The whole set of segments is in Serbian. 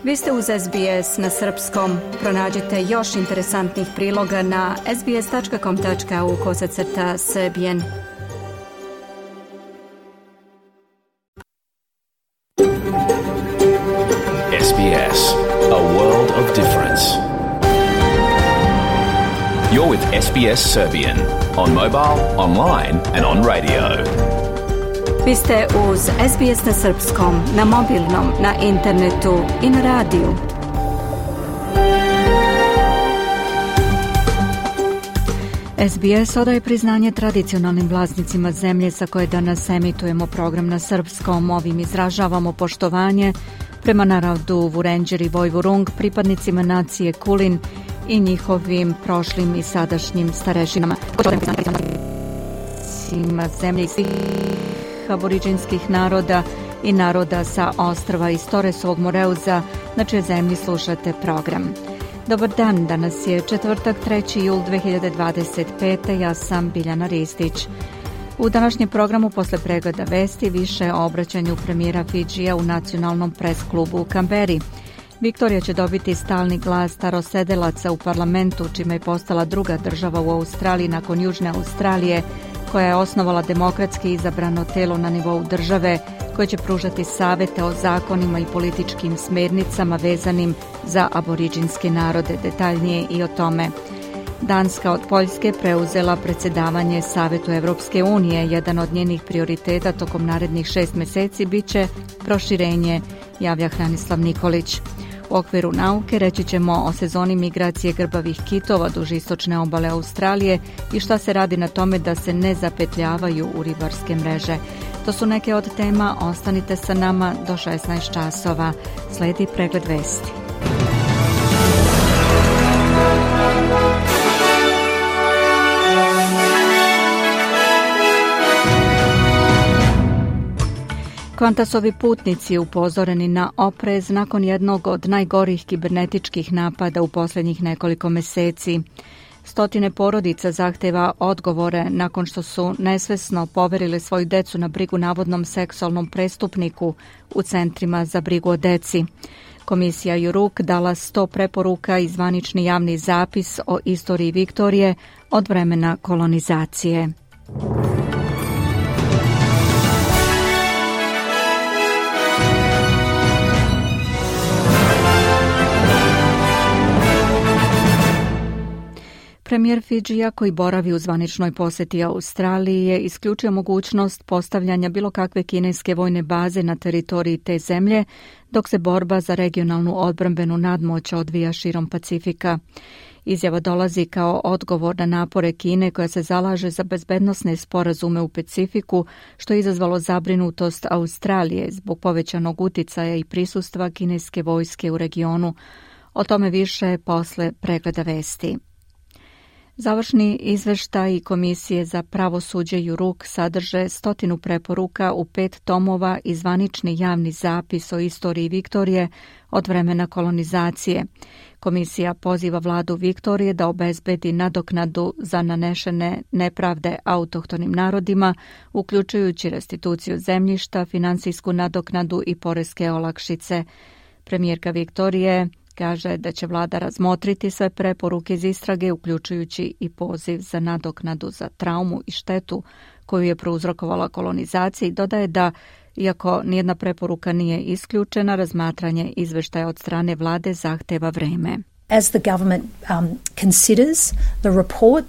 Vi ste uz SBS na srpskom. Pronađite još interesantnih priloga na sbs.com.au/srbijen. SBS, a world of difference. You're with SBS Serbian on mobile, online and on radio. Vi ste uz SBS na srpskom, na mobilnom, na internetu i na radiju. SBS odaje priznanje tradicionalnim vlasnicima zemlje sa koje danas emitujemo program na srpskom. Ovim izražavamo poštovanje prema narodu Vurenđer i Vojvurung, pripadnicima nacije Kulin i njihovim prošlim i sadašnjim starešinama. Zemlje i svih aboriđinskih naroda i naroda sa ostrva iz Toresovog Moreuza, na čijoj zemlji slušate program. Dobar dan, danas je četvrtak, 3. jul 2025. Ja sam Biljana Ristić. U današnjem programu posle pregleda vesti više o obraćanju premijera Fidžija u nacionalnom pres-klubu u Kamberi. Viktorija će dobiti stalni glas starosedelaca u parlamentu, čime je postala druga država u Australiji nakon Južne Australije, koja je osnovala demokratski izabrano telo na nivou države koje će pružati savete o zakonima i političkim smernicama vezanim za aboriđinske narode. Detaljnije i o tome. Danska od Poljske preuzela predsjedavanje Savetu Evropske unije. Jedan od njenih prioriteta tokom narednih 6 mjeseci biće proširenje, javlja Hranislav Nikolić. U okviru nauke reći ćemo o sezoni migracije grbavih kitova duž istočne obale Australije i šta se radi na tome da se ne zapetljavaju u ribarske mreže. To su neke od tema, ostanite sa nama do 16 časova. Sledi pregled vesti. Qantasovi putnici upozoreni na oprez nakon jednog od najgorih kibernetičkih napada u posljednjih nekoliko mjeseci. Stotine porodica zahteva odgovore nakon što su nesvesno poverili svoju decu na brigu navodnom seksualnom prestupniku u centrima za brigu o deci. Komisija Juruk dala 100 preporuka i zvanični javni zapis o istoriji Viktorije od vremena kolonizacije. Premijer Fidžija, koji boravi u zvaničnoj posjeti Australiji, je isključio mogućnost postavljanja bilo kakve kineske vojne baze na teritoriji te zemlje, dok se borba za regionalnu odbrambenu nadmoć odvija širom Pacifika. Izjava dolazi kao odgovor na napore Kine, koja se zalaže za bezbednosne sporazume u Pacifiku, što je izazvalo zabrinutost Australije zbog povećanog uticaja i prisustva kineske vojske u regionu. O tome više posle pregleda vesti. Završni izveštaj Komisije za pravosuđe Juruk sadrže 100 preporuka u 5 tomova i zvanični javni zapis o istoriji Viktorije od vremena kolonizacije. Komisija poziva vladu Viktorije da obezbedi nadoknadu za nanešene nepravde autohtonim narodima, uključujući restituciju zemljišta, finansijsku nadoknadu i poreske olakšice. Premijerka Viktorije kaže da će vlada razmotriti sve preporuke iz istrage, uključujući i poziv za nadoknadu za traumu i štetu koju je prouzrokovala kolonizacija, i dodaje da, iako nijedna preporuka nije isključena, razmatranje izveštaja od strane vlade zahteva vreme. As the government considers the report,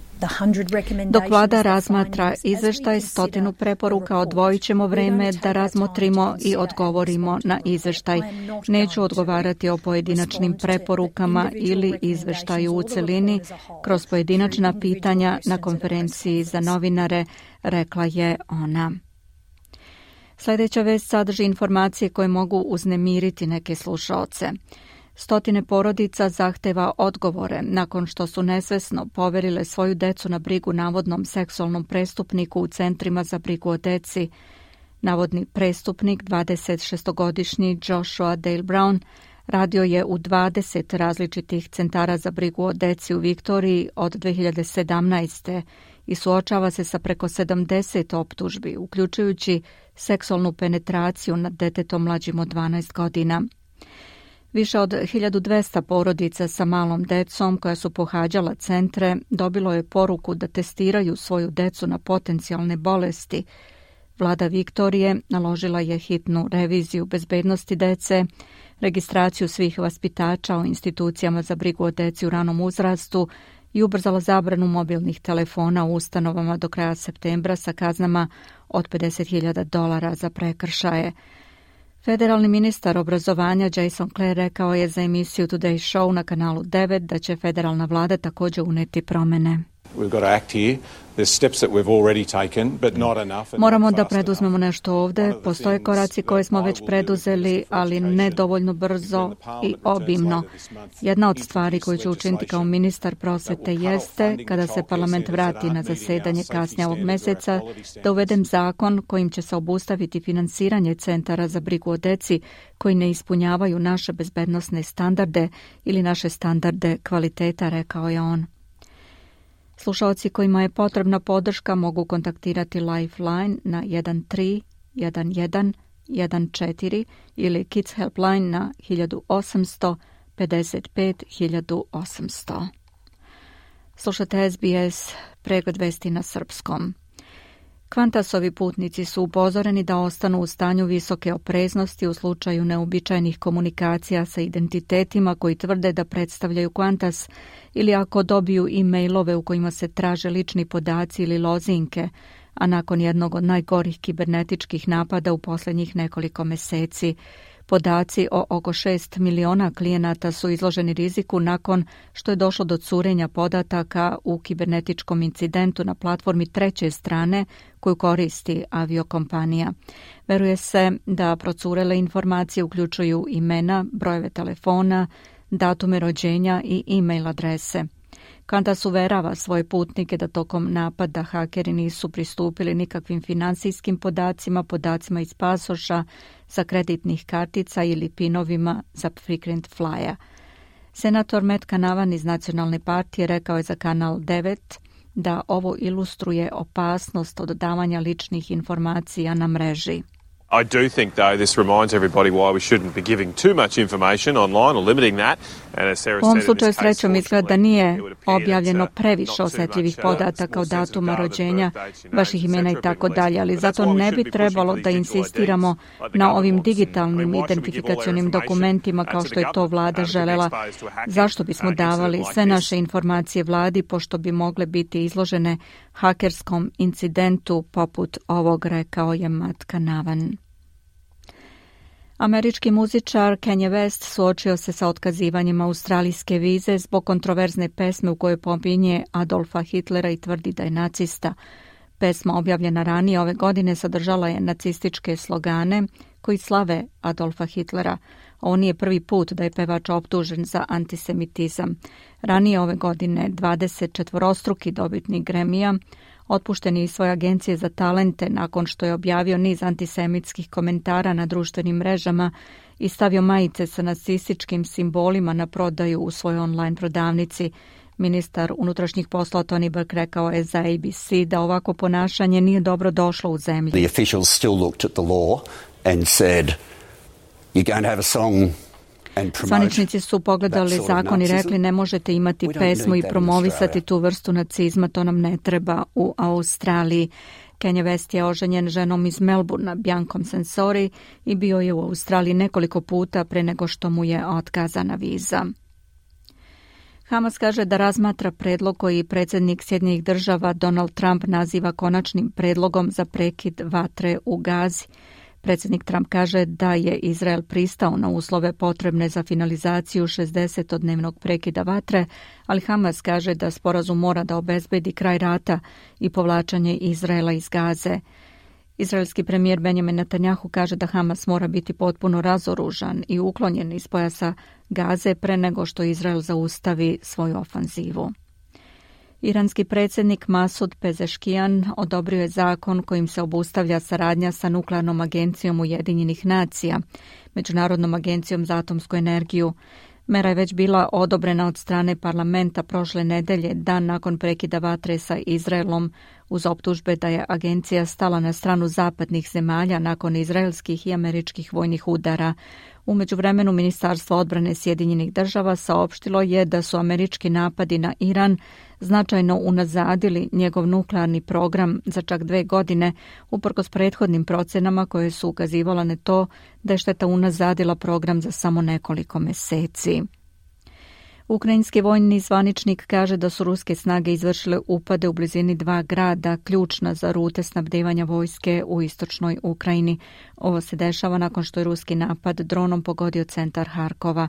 dok vlada razmatra izveštaj 100 preporuka, odvojit ćemo vreme da razmotrimo i odgovorimo na izveštaj. Neću odgovarati o pojedinačnim preporukama ili izveštaju u celini kroz pojedinačna pitanja na konferenciji za novinare, rekla je ona. Sljedeća vest sadrži informacije koje mogu uznemiriti neke slušaoce. 100 porodica zahteva odgovore nakon što su nesvesno poverile svoju decu na brigu navodnom seksualnom prestupniku u centrima za brigu o deci. Navodni prestupnik, 26-godišnji Joshua Dale Brown, radio je u 20 različitih centara za brigu o deci u Viktoriji od 2017. i suočava se sa preko 70 optužbi, uključujući seksualnu penetraciju nad detetom mlađim od 12 godina. Više od 1200 porodica sa malom decom koja su pohađala centre dobilo je poruku da testiraju svoju decu na potencijalne bolesti. Vlada Viktorije naložila je hitnu reviziju bezbednosti dece, registraciju svih vaspitača u institucijama za brigu o deci u ranom uzrastu i ubrzala zabranu mobilnih telefona u ustanovama do kraja septembra sa kaznama od $50.000 za prekršaje. Federalni ministar obrazovanja Jason Clare rekao je za emisiju Today Show na kanalu 9 da će federalna vlada također uneti promjene. Moramo da preduzmemo nešto ovdje. Postoje koraci koje smo već preduzeli, ali ne dovoljno brzo i obimno. Jedna od stvari koju ću učiniti kao ministar prosvete jeste, kada se parlament vrati na zasedanje kasnije ovog mjeseca, da uvedem zakon kojim će se obustaviti finansiranje centara za brigu o deci koji ne ispunjavaju naše bezbednosne standarde ili naše standarde kvaliteta, rekao je on. Slušalci kojima je potrebna podrška mogu kontaktirati Lifeline na 131114 ili Kids Helpline na 1800 55 1800. Slušate SBS, pregled vesti na srpskom. Qantasovi putnici su upozoreni da ostanu u stanju visoke opreznosti u slučaju neobičajnih komunikacija sa identitetima koji tvrde da predstavljaju Qantas ili ako dobiju e-mailove u kojima se traže lični podaci ili lozinke, a nakon jednog od najgorih kibernetičkih napada u posljednjih nekoliko mjeseci. Podaci o oko 6 miliona klijenata su izloženi riziku nakon što je došlo do curenja podataka u kibernetičkom incidentu na platformi treće strane koju koristi aviokompanija. Veruje se da procurele informacije uključuju imena, brojeve telefona, datume rođenja i e-mail adrese. Qantas uverava svoje putnike da tokom napada hakeri nisu pristupili nikakvim financijskim podacima iz pasoša, sa kreditnih kartica ili pinovima za frequent flyer. Senator Matt Canavan iz Nacionalne partije rekao je za kanal 9 da ovo ilustruje opasnost od davanja ličnih informacija na mreži. I do think, though, this reminds everybody why we shouldn't be giving too much information online or limiting that. And as Sarah U ovom said, slučaju srećom izgleda da nije objavljeno previše osjetljivih podataka o datuma rođenja, vaših imena i tako dalje, ali zato ne bi trebalo da insistiramo na ovim digitalnim identifikacionim dokumentima kao što je to vlada želela. Zašto bismo davali sve naše informacije vladi pošto bi mogle biti izložene hakerskom incidentu poput ovog, rekao je Matt Canavan. Američki muzičar Kanye West suočio se sa otkazivanjem australijske vize zbog kontroverzne pesme u kojoj pominje Adolfa Hitlera i tvrdi da je nacista. Pesma objavljena ranije ove godine sadržala je nacističke slogane koji slave Adolfa Hitlera. Ovo nije prvi put da je pevač optužen za antisemitizam. Ranije ove godine 24-struki dobitnik Grammy-a otpušten je iz svoje agencije za talente nakon što je objavio niz antisemitskih komentara na društvenim mrežama i stavio majice sa nacističkim simbolima na prodaju u svojoj online prodavnici. Ministar unutrašnjih poslova Tony Burke rekao je za ABC da ovako ponašanje nije dobro došlo u zemlji. The officials still looked at the law and said, you're going to have a song. Zvaničnici su pogledali zakon i rekli ne možete imati pesmu i promovisati tu vrstu nacizma, to nam ne treba u Australiji. Kanye West je oženjen ženom iz Melbournea, Biancom Censori, i bio je u Australiji nekoliko puta pre nego što mu je otkazana viza. Hamas kaže da razmatra predlog koji predsjednik Sjedinjenih Država Donald Trump naziva konačnim predlogom za prekid vatre u Gazi. Predsjednik Trump kaže da je Izrael pristao na uslove potrebne za finalizaciju 60-dnevnog prekida vatre, ali Hamas kaže da sporazum mora da obezbedi kraj rata i povlačenje Izraela iz Gaze. Izraelski premijer Benjamin Netanjahu kaže da Hamas mora biti potpuno razoružan i uklonjen iz pojasa Gaze pre nego što Izrael zaustavi svoju ofanzivu. Iranski predsjednik Masud Pezeškijan odobrio je zakon kojim se obustavlja saradnja sa Nuklearnom agencijom Ujedinjenih nacija, Međunarodnom agencijom za atomsku energiju. Mera je već bila odobrena od strane parlamenta prošle nedelje, dan nakon prekida vatre sa Izraelom uz optužbe da je agencija stala na stranu zapadnih zemalja nakon izraelskih i američkih vojnih udara. U međuvremenu Ministarstvo odbrane Sjedinjenih država saopštilo je da su američki napadi na Iran značajno unazadili njegov nuklearni program za čak 2 godine, uprkos prethodnim procenama koje su ukazivala na to da je šteta unazadila program za samo nekoliko meseci. Ukrajinski vojni zvaničnik kaže da su ruske snage izvršile upade u blizini 2 grada, ključna za rute snabdevanja vojske u istočnoj Ukrajini. Ovo se dešava nakon što je ruski napad dronom pogodio centar Harkova.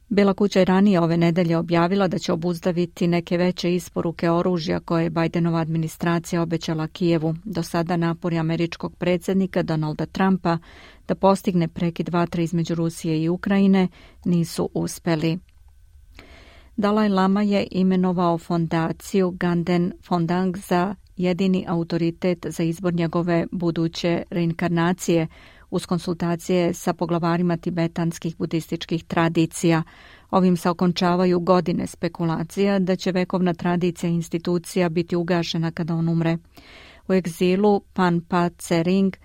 Bela kuća je ranije ove nedelje objavila da će obuzdaviti neke veće isporuke oružja koje je Bidenova administracija obećala Kijevu. Do sada napori američkog predsjednika Donalda Trumpa da postigne prekid vatre između Rusije i Ukrajine nisu uspeli. Dalaj Lama je imenovao fondaciju Ganden Fondang za jedini autoritet za izbor njegove buduće reinkarnacije uz konsultacije sa poglavarima tibetanskih budističkih tradicija. Ovim se okončavaju godine spekulacija da će vekovna tradicija i institucija biti ugašena kada on umre. U egzilu Panpa Tsering,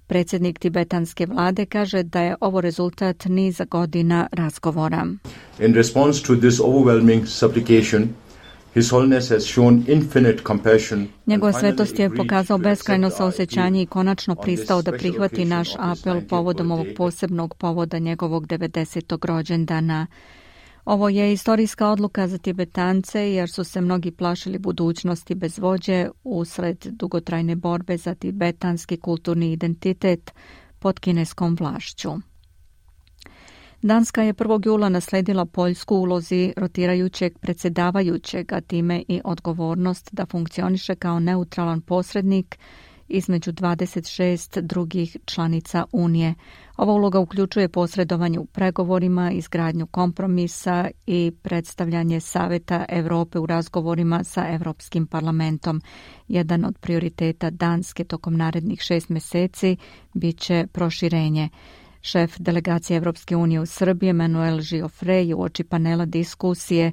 predsjednik tibetanske vlade, kaže da je ovo rezultat niza godina razgovora. In response to this overwhelming supplication, His Holiness has shown infinite compassion. Njegova svetost je pokazao beskrajno saosjećanje i konačno pristao da prihvati naš apel povodom ovog posebnog povoda njegovog 90. rođendana. Ovo je istorijska odluka za Tibetance jer su se mnogi plašili budućnosti bez vođe usred dugotrajne borbe za tibetanski kulturni identitet pod kineskom vlašću. Danska je 1. jula nasledila Poljsku u ulozi rotirajućeg predsjedavajućeg, a time i odgovornost da funkcioniše kao neutralan posrednik između 26 drugih članica Unije. Ova uloga uključuje posredovanje u pregovorima, izgradnju kompromisa i predstavljanje Saveta Europe u razgovorima sa Europskim parlamentom. Jedan od prioriteta Danske tokom narednih 6 mjeseci bit će proširenje. Šef delegacije Evropske unije u Srbiji, Manuel Giofrey, uoči panela diskusije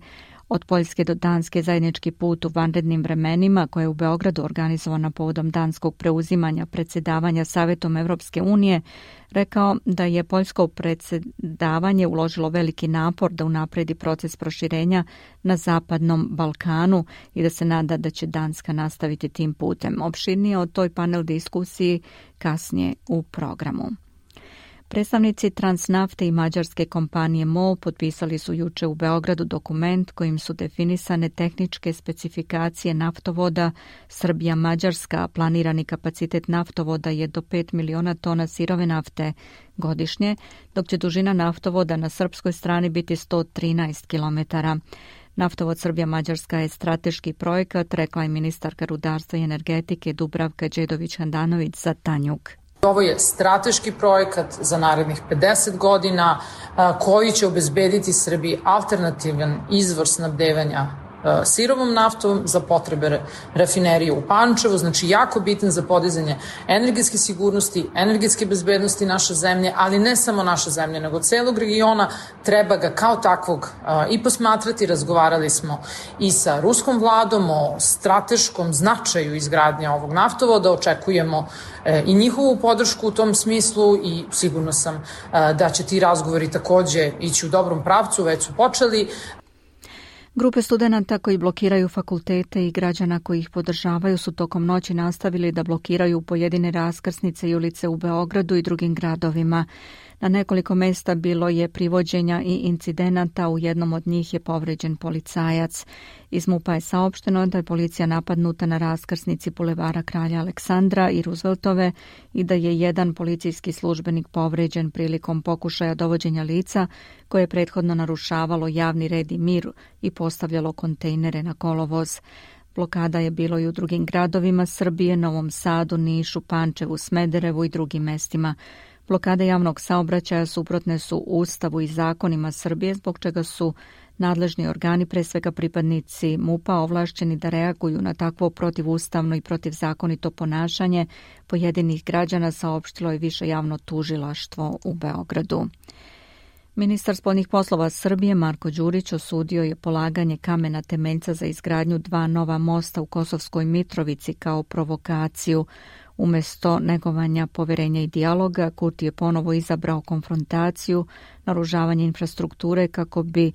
Od Poljske do Danske zajednički put u vanrednim vremenima, koje je u Beogradu organizovana povodom danskog preuzimanja predsjedavanja Savetom Evropske unije, rekao da je poljsko predsjedavanje uložilo veliki napor da unapredi proces proširenja na Zapadnom Balkanu i da se nada da će Danska nastaviti tim putem. Opširnije o toj panel diskusiji kasnije u programu. Predstavnici Transnafte i mađarske kompanije MOL potpisali su juče u Beogradu dokument kojim su definisane tehničke specifikacije naftovoda Srbija-Mađarska. Planirani kapacitet naftovoda je do 5 miliona tona sirove nafte godišnje, dok će dužina naftovoda na srpskoj strani biti 113 km. Naftovod Srbija-Mađarska je strateški projekat, rekla je ministarka rudarstva i energetike Dubravka Đedović-Handanović za Tanjug. Ovo je strateški projekat za narednih 50 godina koji će obezbediti Srbiji alternativan izvor snabdevanja sirovom naftom za potrebe rafinerije u Pančevu, znači jako bitan za podizanje energetske sigurnosti, energetske bezbednosti naše zemlje, ali ne samo naše zemlje, nego celog regiona. Treba ga kao takvog i posmatrati. Razgovarali smo i sa ruskom vladom o strateškom značaju izgradnje ovog naftovoda, očekujemo i njihovu podršku u tom smislu i sigurno sam da će ti razgovori takođe ići u dobrom pravcu, već su počeli. Grupe studenata koji blokiraju fakultete i građana koji ih podržavaju su tokom noći nastavili da blokiraju pojedine raskrsnice i ulice u Beogradu i drugim gradovima. Na nekoliko mesta bilo je privođenja i incidenata, u jednom od njih je povređen policajac. Iz MUP-a je saopšteno da je policija napadnuta na raskrsnici Bulevara Kralja Aleksandra i Rooseveltove i da je jedan policijski službenik povređen prilikom pokušaja dovođenja lica koje je prethodno narušavalo javni red i mir i postavljalo kontejnere na kolovoz. Blokada je bilo i u drugim gradovima Srbije, Novom Sadu, Nišu, Pančevu, Smederevu i drugim mestima. Blokade javnog saobraćaja suprotne su Ustavu i zakonima Srbije, zbog čega su nadležni organi, pre svega pripadnici MUP-a, ovlašćeni da reaguju na takvo protivustavno i protivzakonito ponašanje pojedinih građana, saopštilo je Više javno tužilaštvo u Beogradu. Ministar spoljnih poslova Srbije Marko Đurić osudio je polaganje kamena temeljca za izgradnju 2 nova mosta u Kosovskoj Mitrovici kao provokaciju. Umjesto negovanja poverenja i dijaloga, Kurti je ponovo izabrao konfrontaciju, naružavanje infrastrukture kako bi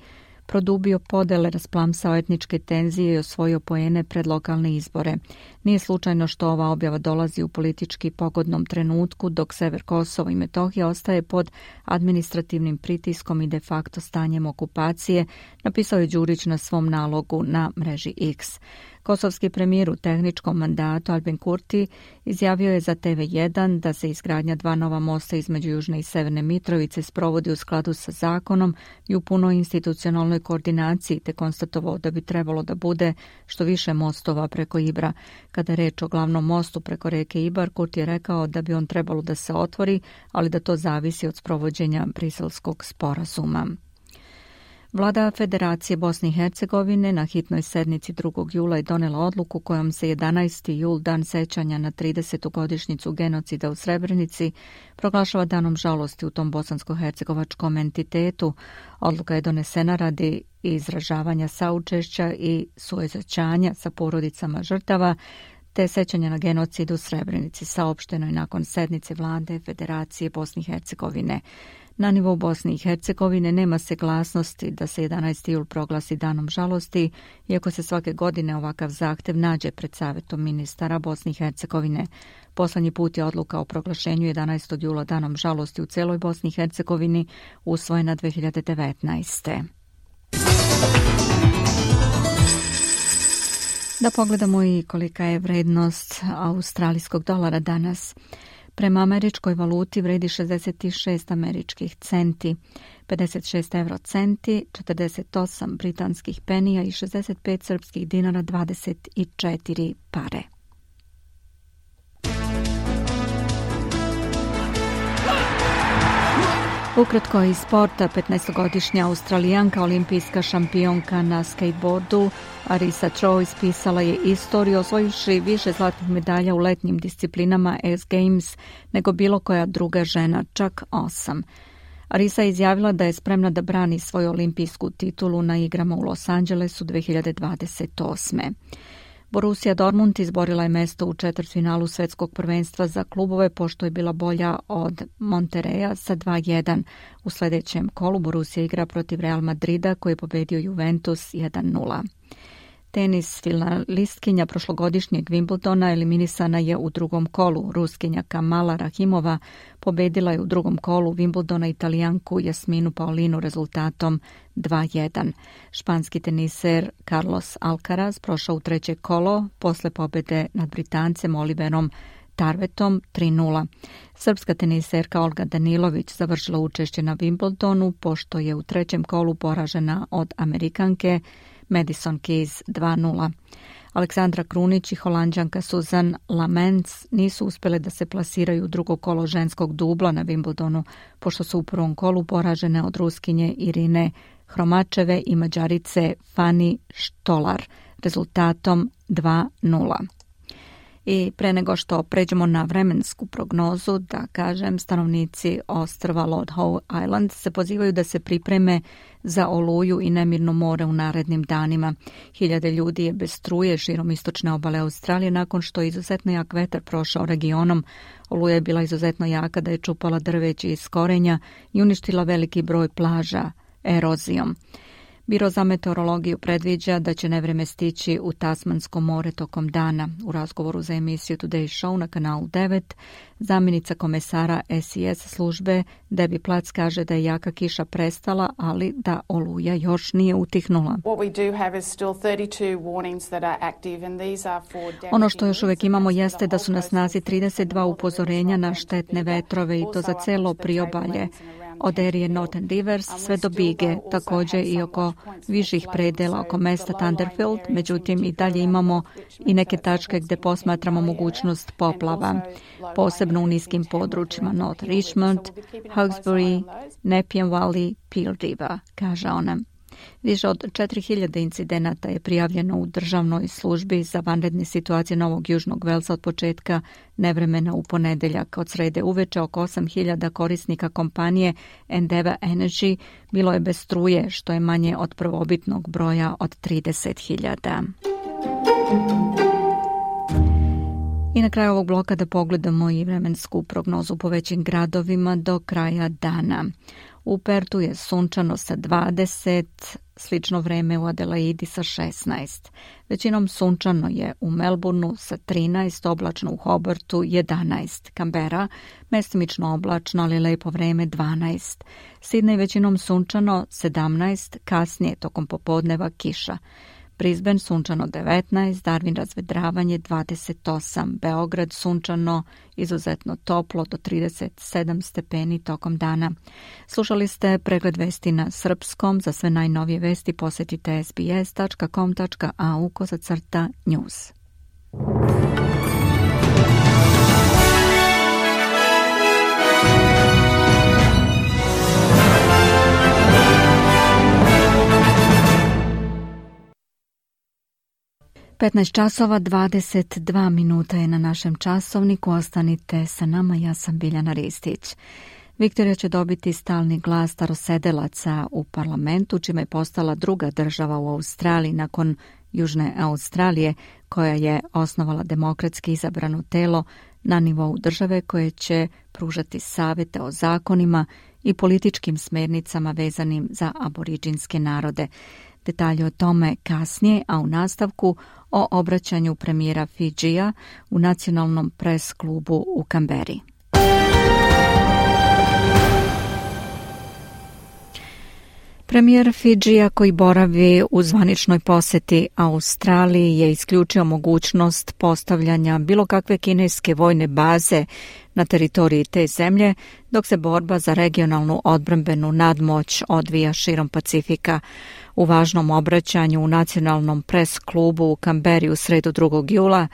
produbio podele, rasplamsao etničke tenzije i osvojio poene pred lokalne izbore. Nije slučajno što ova objava dolazi u politički pogodnom trenutku, dok sever Kosova i Metohija ostaje pod administrativnim pritiskom i de facto stanjem okupacije, napisao je Đurić na svom nalogu na mreži X. Kosovski premijer u tehničkom mandatu Albin Kurti izjavio je za TV1 da se izgradnja 2 nova mosta između Južne i Severne Mitrovice sprovodi u skladu sa zakonom i u punoj institucionalnoj koordinaciji, te konstatovao da bi trebalo da bude što više mostova preko Ibra. Kada je reč o glavnom mostu preko reke Ibar, Kurti je rekao da bi on trebalo da se otvori, ali da to zavisi od sprovođenja Briselskog sporazuma. Vlada Federacije Bosne i Hercegovine na hitnoj sednici 2. jula je donela odluku kojom se 11. jul, dan sećanja na 30. godišnjicu genocida u Srebrenici, proglašava danom žalosti u tom bosansko-hercegovačkom entitetu. Odluka je donesena radi izražavanja saučešća i suosjećanja sa porodicama žrtava, te sećanja na genocid u Srebrenici, saopšteno je nakon sednice Vlade Federacije Bosne i Hercegovine. Na nivou Bosne i Hercegovine nema saglasnosti da se 11. jul proglasi danom žalosti, iako se svake godine ovakav zahtev nađe pred Savetom ministara Bosne i Hercegovine. Poslednji put je odluka o proglašenju 11. jula danom žalosti u celoj Bosni i Hercegovini usvojena 2019. Da pogledamo i kolika je vrednost australijskog dolara danas. Prema američkoj valuti vredi 66 američkih centi, 56 eurocenti, 48 britanskih penija i 65 srpskih dinara 24 pare. Ukratko iz sporta, 15-godišnja Australijanka, olimpijska šampionka na skateboardu Arisa Cho ispisala je istoriju, osvojivši više zlatnih medalja u letnjim disciplinama X Games nego bilo koja druga žena, čak 8. Arisa je izjavila da je spremna da brani svoju olimpijsku titulu na igrama u Los Angelesu 2028. Borussia Dortmund izborila je mesto u četvrtfinalu svetskog prvenstva za klubove pošto je bila bolja od Monterreja sa 2-1. U sljedećem kolu Borussia igra protiv Real Madrida koji je pobedio Juventus 1-0. Tenis, finalistkinja prošlogodišnjeg Wimbledona eliminisana je u drugom kolu. Ruskinja Kamala Rahimova pobedila je u drugom kolu Wimbledona Italijanku Jasminu Paolinu rezultatom 2-1. Španski teniser Carlos Alcaraz prošao u treće kolo posle pobede nad Britancem Oliverom Tarvetom 3-0. Srpska teniserka Olga Danilović završila učešće na Wimbledonu pošto je u trećem kolu poražena od Amerikanke Madison Keys 2-0. Aleksandra Krunić i Holanđanka Susan Lamens nisu uspjele da se plasiraju u drugo kolo ženskog dubla na Wimbledonu, pošto su u prvom kolu poražene od Ruskinje Irine Hromačeve i Mađarice Fani Štolar rezultatom 2-0. I pre nego što pređemo na vremensku prognozu, da kažem, stanovnici ostrva Lord Howe Island se pozivaju da se pripreme za oluju i nemirno more u narednim danima. Hiljade ljudi je bez struje širom istočne obale Australije nakon što je izuzetno jak vetar prošao regionom. Oluja je bila izuzetno jaka da je čupala drveće iz korenja i uništila veliki broj plaža erozijom. Biro za meteorologiju predviđa da će nevreme stići u Tasmansko more tokom dana. U razgovoru za emisiju Today Show na kanalu 9, zamjenica komesara SES službe Debbie Platz kaže da je jaka kiša prestala, ali da oluja još nije utihnula. Ono što još uvijek imamo jeste da su na snazi 32 upozorenja na štetne vetrove i to za celo priobalje. Od erije Northern Rivers sve do Bige, također i oko viših predela oko mesta Thunderfield, međutim i dalje imamo i neke tačke gdje posmatramo mogućnost poplava, posebno u niskim područjima North Richmond, Hawkesbury, Nepean Valley, Peel River, kaže ona. Više od 4000 incidenata je prijavljeno u državnoj službi za vanredne situacije Novog Južnog Velsa od početka nevremena u ponedeljak. Od srede uveče oko 8000 korisnika kompanije Endeavour Energy bilo je bez struje, što je manje od prvobitnog broja od 30.000. I na kraju ovog bloka da pogledamo i vremensku prognozu po većim gradovima do kraja dana. U Pertu je sunčano sa 20, slično vreme u Adelaidi sa 16. Većinom sunčano je u Melbourneu sa 13, oblačno u Hobartu 11. Canberra, mestimično oblačno, ali lepo vreme 12. Sydney većinom sunčano 17, kasnije tokom popodneva kiša. Brisbane sunčano 19, Darwin razvedravanje 28, Beograd sunčano, izuzetno toplo do 37 stepeni tokom dana. Slušali ste pregled vesti na srpskom. Za sve najnovije vesti posjetite sbs.com.au/news. 15 časova 22 minuta je na našem časovniku. Ostanite sa nama, ja sam Biljana Ristić. Viktorija će dobiti stalni glas starosedelaca u parlamentu, čime je postala druga država u Australiji nakon Južne Australije, koja je osnovala demokratski izabrano telo na nivou države koje će pružati savjete o zakonima i političkim smernicama vezanim za aboriđinske narode. Detalje o tome kasnije, a u nastavku o obraćanju premijera Fidžija u nacionalnom pres klubu u Kamberi. Premijer Fidžija koji boravi u zvaničnoj posjeti Australiji je isključio mogućnost postavljanja bilo kakve kineske vojne baze na teritoriji te zemlje, dok se borba za regionalnu odbrambenu nadmoć odvija širom Pacifika. U važnom obraćanju u nacionalnom pres klubu u Kamberi u sredu 2. jula,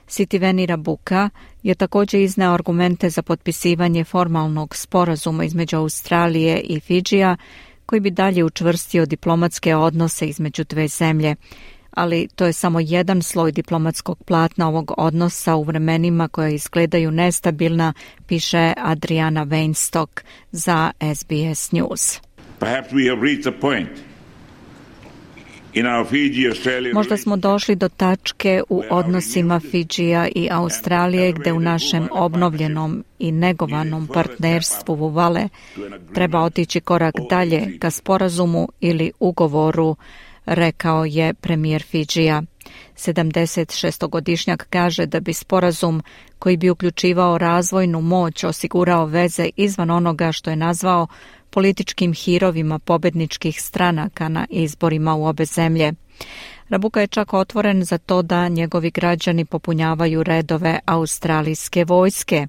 Sitiveni Rabuka je također izneo argumente za potpisivanje formalnog sporazuma između Australije i Fidžija, koji bi dalje učvrstio diplomatske odnose između dve zemlje. Ali to je samo jedan sloj diplomatskog platna ovog odnosa u vremenima koja izgledaju nestabilna, piše Adriana Weinstock za SBS News. Perhaps we have reached a point. Možda smo došli do tačke u odnosima Fidžija i Australije gdje u našem obnovljenom i negovanom partnerstvu Vuvale treba otići korak dalje ka sporazumu ili ugovoru, rekao je premijer Fidžija. 76-godišnjak kaže da bi sporazum koji bi uključivao razvojnu moć osigurao veze izvan onoga što je nazvao političkim hirovima pobedničkih stranaka na izborima u obe zemlje. Rabuka je čak otvoren za to da njegovi građani popunjavaju redove australijske vojske,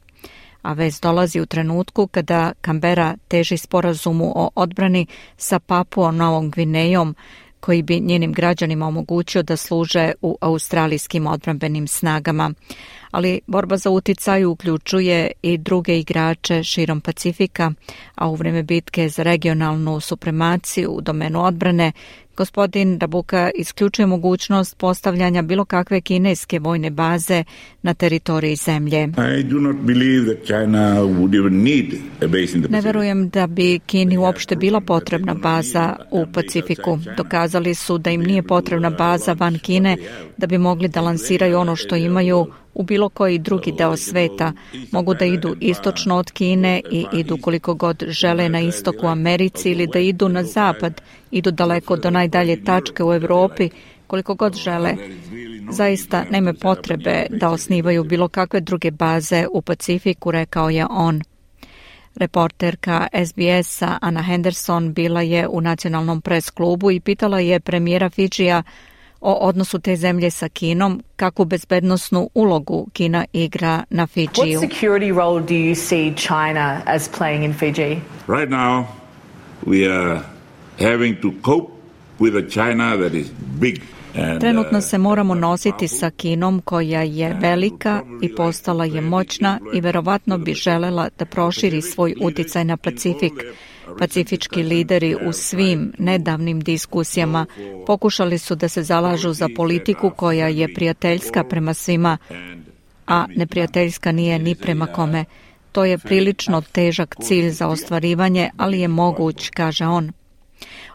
a vez dolazi u trenutku kada Kambera teži sporazumu o odbrani sa Papuom Novom Gvinejom, koji bi njenim građanima omogućio da služe u australijskim odbrambenim snagama. Ali borba za uticaj uključuje i druge igrače širom Pacifika, a u vrijeme bitke za regionalnu supremaciju u domenu odbrane, gospodin Rabuka isključuje mogućnost postavljanja bilo kakve kineske vojne baze na teritoriji zemlje. Ne verujem da bi Kini uopšte bila potrebna baza u Pacifiku. Dokazali su da im nije potrebna baza van Kine da bi mogli da lansiraju ono što imaju u bilo koji drugi deo sveta. Mogu da idu istočno od Kine i idu koliko god žele na istok u Americi ili da idu na zapad, idu daleko do najdalje tačke u Europi koliko god žele. Zaista nema potrebe da osnivaju bilo kakve druge baze u Pacifiku, rekao je on. Reporterka SBS-a Anna Henderson bila je u nacionalnom pres klubu i pitala je premijera Fidžija o odnosu te zemlje sa Kinom, kakvu bezbednosnu ulogu Kina igra na Fidžiju. What security role do you see China as playing in Fiji? Right now we are having to cope with a China that is big. Trenutno se moramo nositi sa Kinom koja je velika i postala je moćna i verovatno bi želela da proširi svoj uticaj na Pacifik. Pacifički lideri u svim nedavnim diskusijama pokušali su da se zalažu za politiku koja je prijateljska prema svima, a neprijateljska nije ni prema kome. To je prilično težak cilj za ostvarivanje, ali je moguć, kaže on.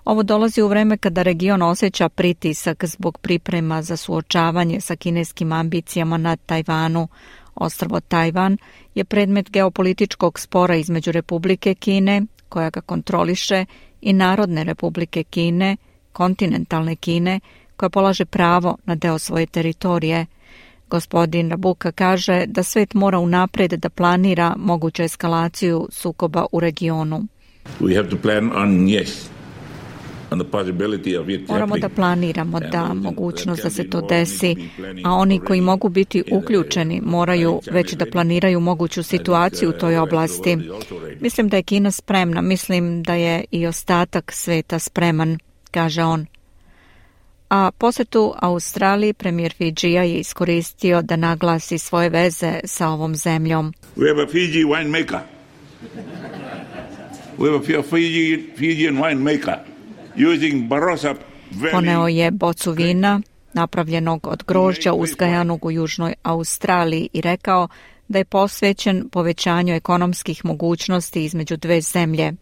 Ovo dolazi u vreme kada region osjeća pritisak zbog priprema za suočavanje sa kineskim ambicijama na Tajvanu. Ostrvo Tajvan je predmet geopolitičkog spora između Republike Kine, koja ga kontroliše, i Narodne Republike Kine, kontinentalne Kine, koja polaže pravo na deo svoje teritorije. Gospodin Rabuka kaže da svet mora unapred da planira moguću eskalaciju sukoba u regionu. We have to plan on, yes. Moramo da planiramo da mogućnost da se to desi, a oni koji mogu biti uključeni moraju već da planiraju moguću situaciju u toj oblasti. Mislim da je Kina spremna, mislim da je i ostatak sveta spreman, kaže on. A posetu Australiji premijer Fidžija je iskoristio da naglasi svoje veze sa ovom zemljom. We have a Fiji winemaker. We have a Fijian winemaker. Poneo je bocu vina napravljenog od grožđa uzgajanog u Južnoj Australiji i rekao da je posvećen povećanju ekonomskih mogućnosti između dve zemlje.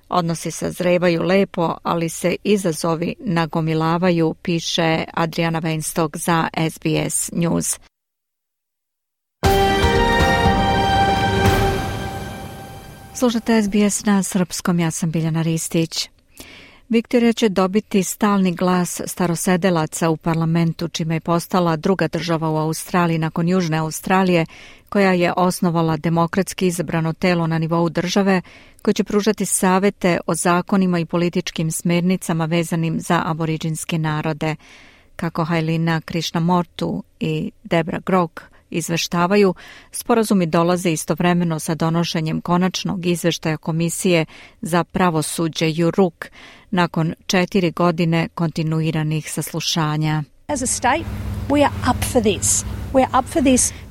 Odnosi sazrevaju lepo, ali se izazovi nagomilavaju, piše Adriana Weinstock za SBS News. Slušate SBS na srpskom, ja sam Biljana Ristić. Viktorija će dobiti stalni glas starosedelaca u parlamentu, čime je postala druga država u Australiji nakon Južne Australije, koja je osnovala demokratski izabrano telo na nivou države koje će pružati savete o zakonima i političkim smernicama vezanim za aboriđinske narode. Kako Hailina Krishnamurthy i Debra Grok izveštavaju, sporazumi dolaze istovremeno sa donošenjem konačnog izveštaja Komisije za pravosuđe Juruk nakon 4 godine kontinuiranih saslušanja.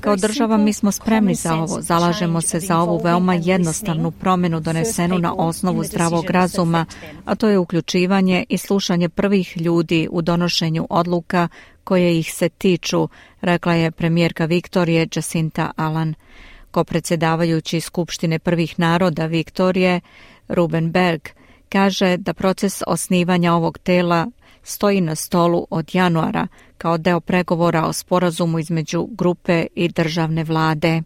Kao država mi smo spremni za ovo, zalažemo se za ovu veoma jednostavnu promjenu donesenu na osnovu zdravog razuma, a to je uključivanje i slušanje prvih ljudi u donošenju odluka koje ih se tiču, rekla je premijerka Viktorije Jacinta Allan. Kopredsjedavajući Skupštine prvih naroda Viktorije, Ruben Berg, kaže da proces osnivanja ovog tela stoji na stolu od januara kao deo pregovora o sporazumu između grupe i državne vlade.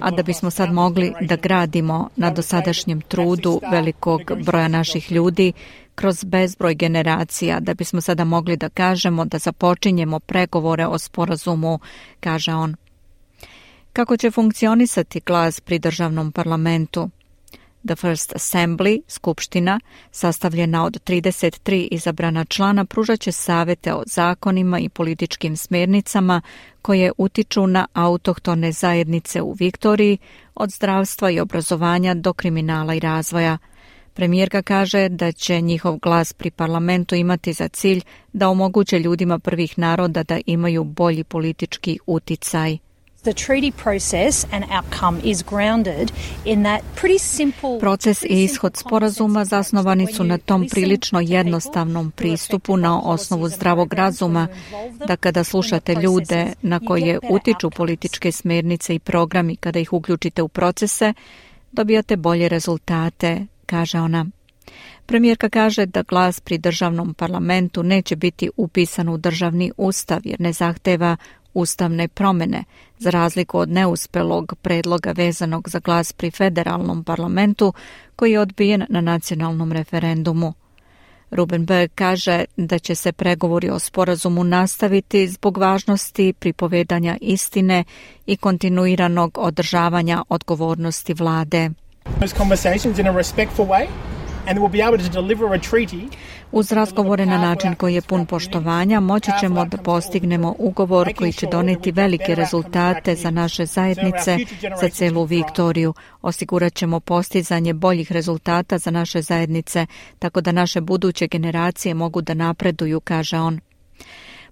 A da bismo sad mogli da gradimo na dosadašnjem trudu velikog broja naših ljudi kroz bezbroj generacija, da bismo sada mogli da kažemo da započinjemo pregovore o sporazumu, kaže on. Kako će funkcionisati glas pri državnom parlamentu? The First Assembly, skupština, sastavljena od 33 izabrana člana, pružat će savete o zakonima i političkim smjernicama koje utiču na autohtone zajednice u Viktoriji, od zdravstva i obrazovanja do kriminala i razvoja. Premijerka kaže da će njihov glas pri parlamentu imati za cilj da omoguće ljudima prvih naroda da imaju bolji politički uticaj. Proces i ishod sporazuma zasnovani su na tom prilično jednostavnom pristupu na osnovu zdravog razuma, da kada slušate ljude na koje utiču političke smjernice i programi, kada ih uključite u procese, dobijate bolje rezultate, kaže ona. Premijerka kaže da glas pri državnom parlamentu neće biti upisan u državni ustav jer ne zahteva ustavne promjene, za razliku od neuspelog predloga vezanog za glas pri federalnom parlamentu koji je odbijen na nacionalnom referendumu. Ruben Berg kaže da će se pregovori o sporazumu nastaviti zbog važnosti pripovedanja istine i kontinuiranog održavanja odgovornosti vlade. Uz razgovore na način koji je pun poštovanja moći ćemo da postignemo ugovor koji će doneti velike rezultate za naše zajednice, za celu Viktoriju. Osigurat ćemo postizanje boljih rezultata za naše zajednice, tako da naše buduće generacije mogu da napreduju, kaže on.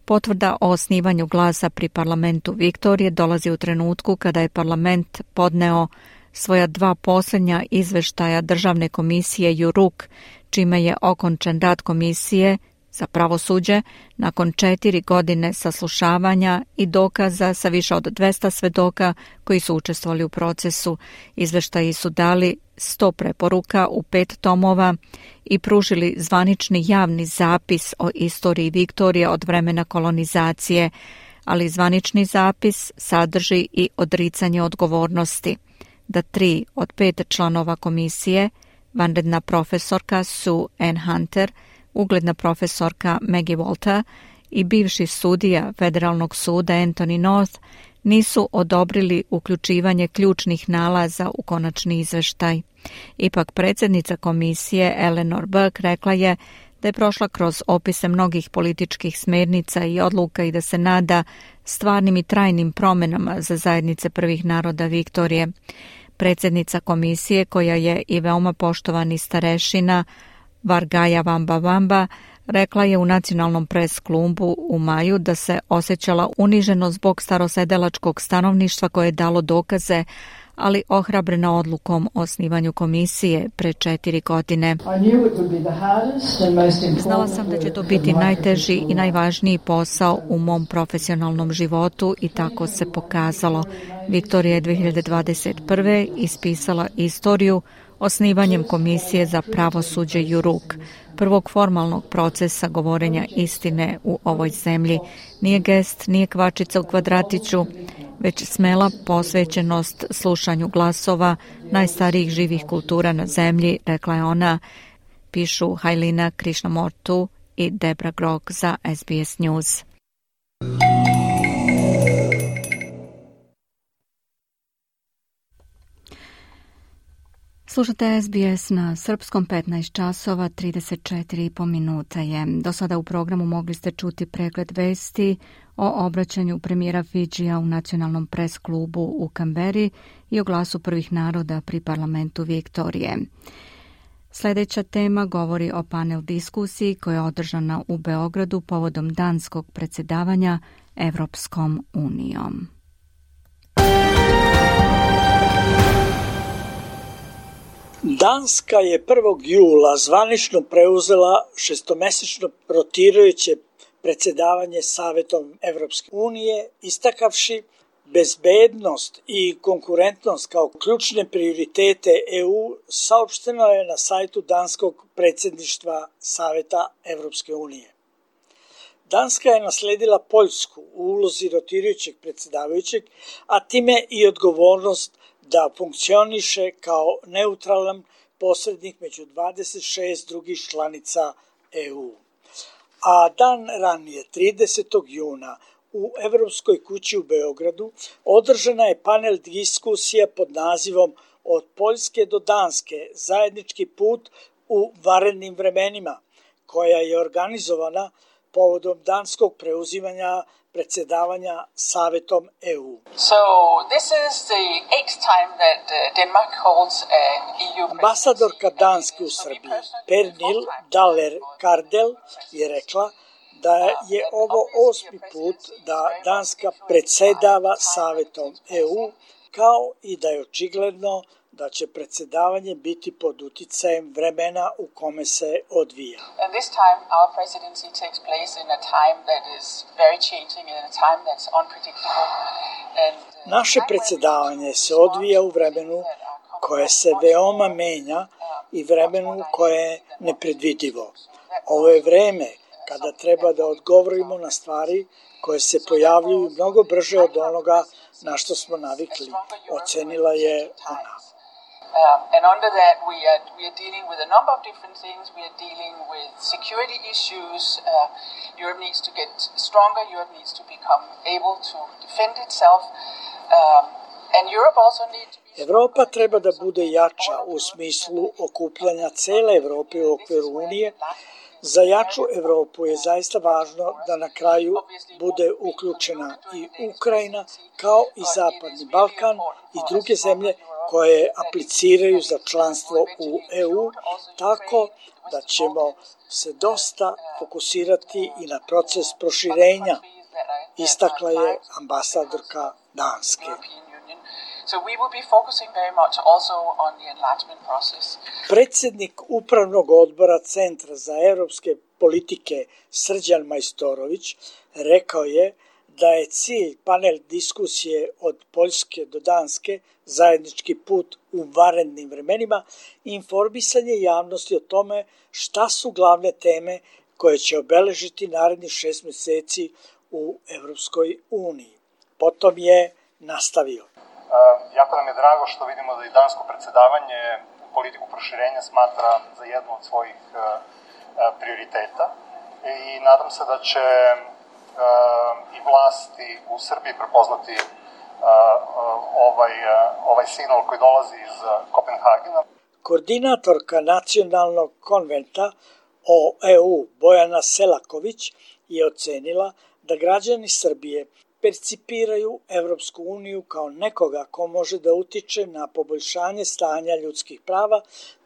Potvrda o osnivanju glasa pri parlamentu Viktorije dolazi u trenutku kada je parlament podneo svoja 2 posljednja izveštaja Državne komisije JURUK, čime je okončan rad komisije za pravosuđe nakon 4 godine saslušavanja i dokaza sa više od 200 svedoka koji su učestvovali u procesu. Izveštaji su dali 100 preporuka u 5 tomova i pružili zvanični javni zapis o istoriji Viktorije od vremena kolonizacije, ali zvanični zapis sadrži i odricanje odgovornosti da 3 od 5 članova komisije, vanredna profesorka Sue Ann Hunter, ugledna profesorka Maggie Walter i bivši sudija Federalnog suda Anthony North, nisu odobrili uključivanje ključnih nalaza u konačni izveštaj. Ipak predsjednica komisije Eleanor Burke rekla je da je prošla kroz opise mnogih političkih smjernica i odluka i da se nada stvarnim i trajnim promjenama za zajednice prvih naroda Viktorije. Predsjednica komisije, koja je i veoma poštovani starešina Vargaja Vamba rekla je u nacionalnom pres klubu u maju da se osjećala uniženo zbog starosedelačkog stanovništva koje je dalo dokaze, ali ohrabrena odlukom o osnivanju komisije pre 4 godine. Znala sam da će to biti najteži i najvažniji posao u mom profesionalnom životu i tako se pokazalo. Viktorija je 2021. ispisala istoriju osnivanjem Komisije za pravosuđe JURUK, prvog formalnog procesa govorenja istine u ovoj zemlji. Nije gest, nije kvačica u kvadratiću, već smela posvećenost slušanju glasova najstarijih živih kultura na zemlji, rekla je ona, pišu Hailina Krishnamurthy i Debra Grok za SBS News. Slušate SBS na srpskom, 15 časova, 34,5 minuta je. Do sada u programu mogli ste čuti pregled vesti o obraćanju premijera Fidžija u nacionalnom pres klubu u Kamberi i o glasu prvih naroda pri parlamentu Viktorije. Sljedeća tema govori o panel diskusiji koja je održana u Beogradu povodom danskog predsjedavanja Evropskom unijom. Danska je 1. jula zvanično preuzela šestomesečno rotirajuće predsjedavanje Savetom Evropske unije, istakavši bezbednost i konkurentnost kao ključne prioritete EU, saopšteno je na sajtu danskog predsjedništva Saveta Evropske unije. Danska je nasledila Poljsku u ulozi rotirajućeg predsjedavajućeg, a time i odgovornost da funkcioniše kao neutralan posrednik među 26 drugih članica EU. A dan ranije, 30. juna, u Evropskoj kući u Beogradu održana je panel diskusija pod nazivom Od Poljske do Danske, zajednički put u vanrednim vremenima, koja je organizovana povodom danskog preuzimanja predsjedavanja Savetom EU. So this is the 8th time that Denmark holds an EU. Ambasadorka Danske u Srbiji, Pernil Daller Kardel, je rekla da je ovo 8. put da Danska predsjedava Savetom EU, kao i da je očigledno da će predsjedavanje biti pod uticajem vremena u kome se odvija. And this time our presidency takes place in a time that is very changing and a time that's unpredictable. Naše predsjedavanje se odvija u vremenu koje se veoma menja i vremenu koje je nepredvidivo. Ovo je vreme kada treba da odgovorimo na stvari koje se pojavljuju mnogo brže od onoga na što smo navikli, ocenila je ona. And under that, we are dealing with a number of different things. We are dealing with security issues. Europe needs to get stronger. Europe needs to become able to defend itself. And Europe also needs to be... Evropa treba da bude jača u smislu okupljanja cele Evrope u okviru Unije. Za jaču Evropu je zaista važno da na kraju bude uključena i Ukrajina, kao i Zapadni Balkan i druge zemlje koje apliciraju za članstvo u EU, tako da ćemo se dosta fokusirati i na proces proširenja, istakla je ambasadorka Danske. So we will be focusing very much also on the enlargement process. Predsjednik Upravnog odbora Centra za europske politike Srđan Majstorović rekao je da je cilj panel diskusije od Poljske do Danske, zajednički put u vanrednim vremenima, informisanje javnosti o tome šta su glavne teme koje će obeležiti narednih 6 mjeseci u Evropskoj uniji. Potom je nastavio. Jako nam je drago što vidimo da i dansko predsjedavanje politiku proširenja smatra za jednu od svojih prioriteta i nadam se da će i vlasti u Srbiji prepoznati ovaj signal koji dolazi iz Kopenhagena. Koordinatorka nacionalnog konventa o EU Bojana Selaković je ocenila da građani Srbije percipiraju Evropsku uniju kao nekoga ko može da utiče na poboljšanje stanja ljudskih prava,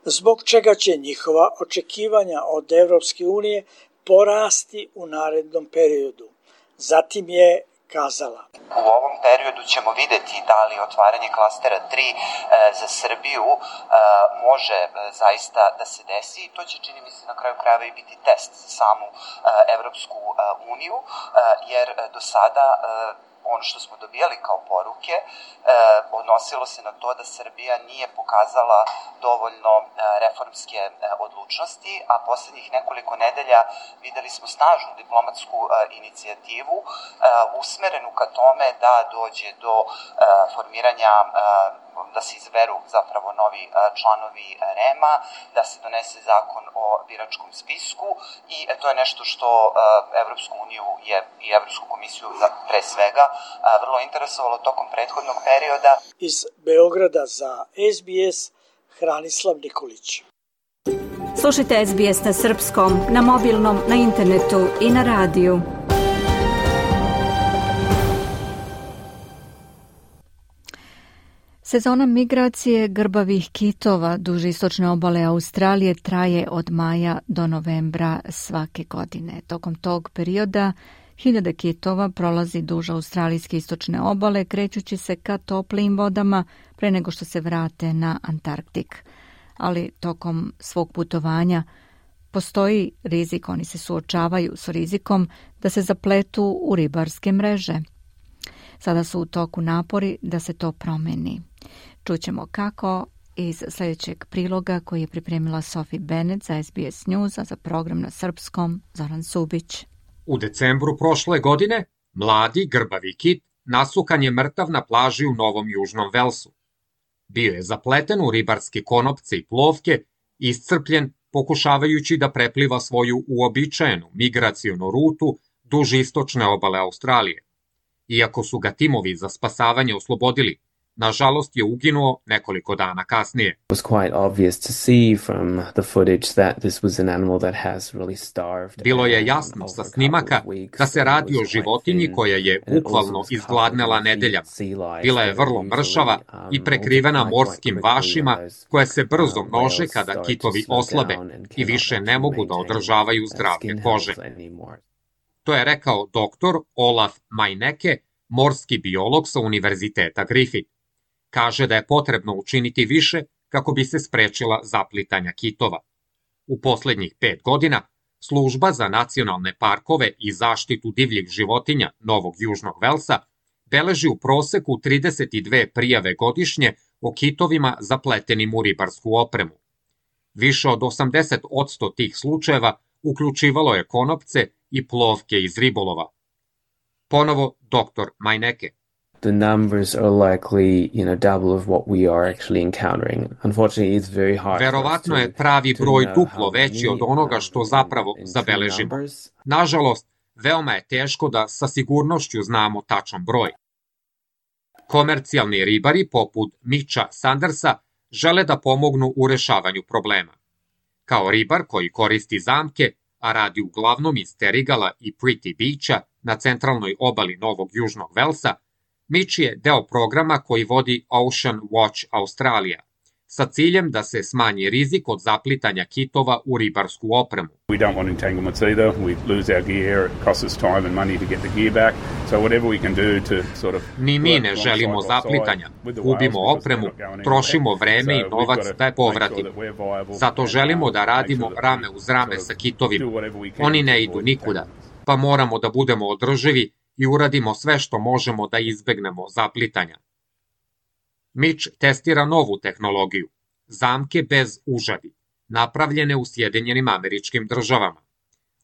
zbog čega će njihova očekivanja od Evropske unije porasti u narednom periodu. Zatim je kazala: U ovom periodu ćemo videti da li otvaranje klastera 3 za Srbiju može zaista da se desi i to će, čini mi se, na kraju krajeva i biti test za samu Evropsku uniju, jer do sada ono što smo dobijali kao poruke odnosilo se na to da Srbija nije pokazala dovoljno reformske odlučnosti, a posljednjih nekoliko nedelja videli smo snažnu diplomatsku inicijativu usmerenu ka tome da dođe do formiranja, da se izberu zapravo novi članovi REM-a, da se donese zakon o biračkom spisku i to je nešto što Evropsku uniju i Evropsku komisiju pre svega vrlo interesovalo tokom prethodnog perioda. Iz Beograda za SBS Hranislav Nikolić. Slušajte SBS na srpskom, na mobilnom, na internetu i na radiju. Sezona migracije grbavih kitova duž istočne obale Australije traje od maja do novembra svake godine. Tokom tog perioda hiljade kitova prolazi duž australijske istočne obale, krećući se ka toplijim vodama pre nego što se vrate na Antarktik. Ali tokom svog putovanja postoji rizik, oni se suočavaju s rizikom da se zapletu u ribarske mreže. Sada su u toku napori da se to promeni. Čućemo kako iz sljedećeg priloga koji je pripremila Sophie Bennett za SBS News, a za program na srpskom Zoran Subić. U decembru prošle godine mladi grbavi kit nasukan je mrtav na plaži u Novom Južnom Velsu. Bio je zapleten u ribarske konopce i plovke, iscrpljen pokušavajući da prepliva svoju uobičajenu migracionu rutu duž istočne obale Australije. Iako su ga timovi za spasavanje oslobodili, nažalost je uginuo nekoliko dana kasnije. Bilo je jasno sa snimaka da se radi o životinji koja je bukvalno izgladnela nedeljama. Bila je vrlo mršava i prekrivena morskim vašima koje se brzo množe kada kitovi oslabe i više ne mogu da održavaju zdravlje kože. To je rekao doktor Olaf Majneke, morski biolog sa Univerziteta Griffith. Kaže da je potrebno učiniti više kako bi se sprečila zaplitanja kitova. U posljednjih 5 godina Služba za nacionalne parkove i zaštitu divljih životinja Novog Južnog Velsa beleži u proseku 32 prijave godišnje o kitovima zapletenim u ribarsku opremu. Više od 80% tih slučajeva uključivalo je konopce i plovke iz ribolova. Ponovo doktor Majneke. The numbers are likely, double of what we are actually encountering. Unfortunately, it's very hard. Verovatno je pravi broj duplo veći od onoga što zapravo zabeležimo. Nažalost, veoma je teško da sa sigurnošću znamo tačan broj. Komercijalni ribari poput Mitcha Sandersa žele da pomognu u rešavanju problema. Kao ribar koji koristi zamke, a radi uglavnom iz Terigala i Pretty Beacha na centralnoj obali Novog Južnog Velsa, Mitch je deo programa koji vodi Ocean Watch Australia, sa ciljem da se smanji rizik od zaplitanja kitova u ribarsku opremu. We don't want entanglements either. We lose our gear, it costs us time and money to get the gear back. So whatever we can do to sort of... Ni mi ne želimo zaplitanja, gubimo opremu, trošimo vreme i novac da je povratimo. Zato želimo da radimo rame uz rame sa kitovima. Oni ne idu nikuda, pa moramo da budemo održivi i uradimo sve što možemo da izbegnemo zaplitanja. Mitch testira novu tehnologiju, zamke bez užadi, napravljene u Sjedinjenim Američkim Državama.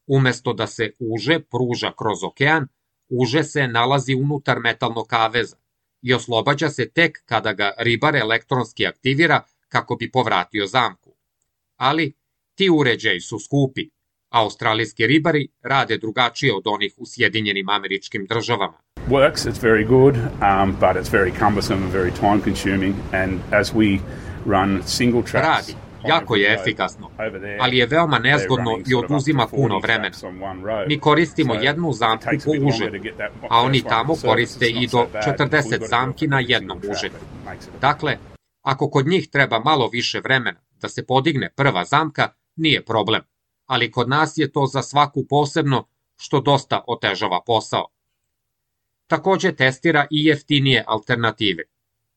Umesto da se uže pruža kroz okean, uže se nalazi unutar metalnog kaveza i oslobađa se tek kada ga ribar elektronski aktivira kako bi povratio zamku. Ali ti uređaji su skupi. Australijski ribari rade drugačije od onih u Sjedinjenim Američkim Državama. Works, it's very good, but it's very cumbersome and very time consuming, and as we run single tracks... Radi, jako je efikasno, ali je veoma nezgodno i oduzima puno vremena. Mi koristimo jednu zamku po užetu, a oni tamo koriste i do 40 zamki na jednom užetu. Dakle, ako kod njih treba malo više vremena da se podigne prva zamka, nije problem, ali kod nas je to za svaku posebno, što dosta otežava posao. Takođe testira i jeftinije alternative,